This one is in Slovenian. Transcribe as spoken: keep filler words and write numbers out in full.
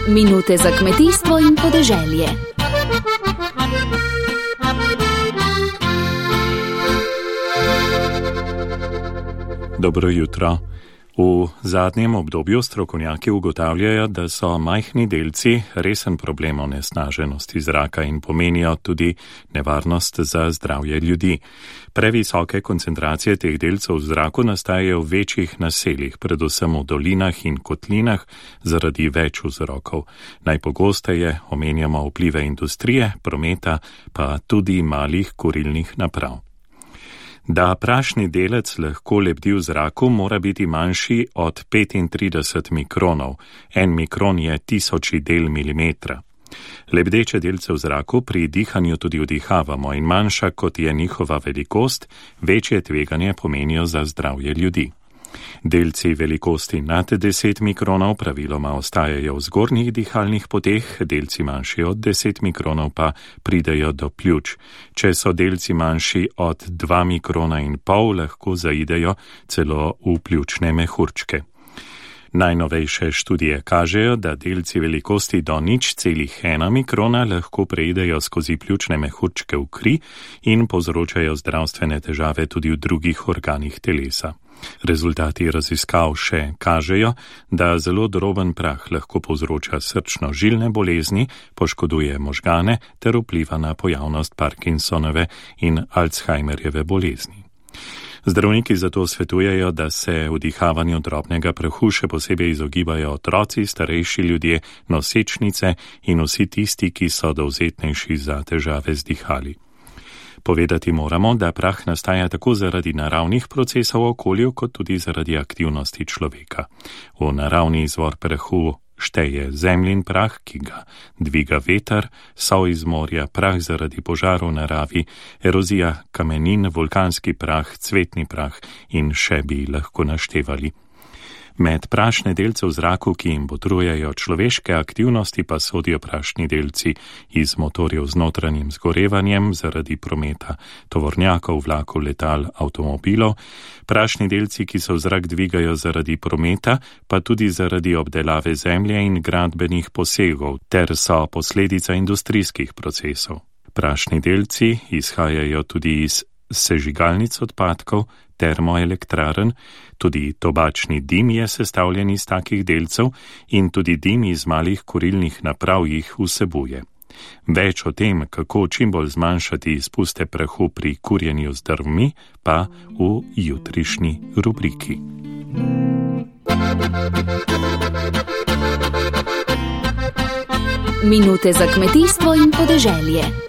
Minute za kmetijstvo in podeželje. Dobro jutro. V zadnjem obdobju strokovnjaki ugotavljajo, da so majhni delci resen problem onesnaženosti zraka in pomenijo tudi nevarnost za zdravje ljudi. Previsoke koncentracije teh delcev v zraku nastajajo v večjih naseljih, predvsem v dolinah in kotlinah, zaradi več vzrokov. Najpogosteje omenjamo vplive industrije, prometa, pa tudi malih kurilnih naprav. Da prašni delec lahko lebdi v zraku, mora biti manjši od petintrideset mikronov. En mikron je tisoči del milimetra. Lebdeče delce v zraku pri dihanju tudi vdihavamo in manjša kot je njihova velikost, večje tveganje pomenijo za zdravje ljudi. Delci velikosti nad deset mikronov praviloma ostajajo v zgornjih dihalnih poteh, delci manjši od deset mikronov pa pridejo do pljuč. Če so delci manjši od dva mikrona in pol, lahko zaidejo celo v pljučne mehurčke. Najnovejše študije kažejo, da delci velikosti do nič celih ena mikrona lahko preidejo skozi pljučne mehurčke v kri in povzročajo zdravstvene težave tudi v drugih organih telesa. Rezultati raziskav še kažejo, da zelo droben prah lahko povzroča srčno-žilne bolezni, poškoduje možgane ter vpliva na pojavnost Parkinsonove in Alzheimerjeve bolezni. Zdravniki zato svetujejo, da se vdihavanju drobnega prahu še posebej izogibajo otroci, starejši ljudje, nosečnice in vsi tisti, ki so dovzetnejši za težave z dihali. Povedati moramo, da prah nastaja tako zaradi naravnih procesov v okolju, kot tudi zaradi aktivnosti človeka. V naravni izvor prahu šteje zemljin prah, ki ga dviga veter, sol iz morja, prah zaradi požarov v naravi, erozija kamenin, vulkanski prah, cvetni prah in še bi lahko naštevali. Med prašne delce v zraku, ki jim botrujejo človeške aktivnosti, pa sodijo prašni delci iz motorjev z notranjim zgorevanjem zaradi prometa tovornjakov, vlakov, letal, avtomobilov, prašni delci, ki se v zrak dvigajo zaradi prometa, pa tudi zaradi obdelave zemlje in gradbenih posegov, ter so posledica industrijskih procesov. Prašni delci izhajajo tudi iz sežigalnic odpadkov, termoelektrarn, tudi tobačni dim je sestavljen iz takih delcev in tudi dim iz malih kurilnih naprav jih vsebuje. Več o tem, kako čim bolj zmanjšati izpuste prahu pri kurjenju z drvmi, pa v jutrišnji rubriki. Minute za kmetijstvo in podeželje.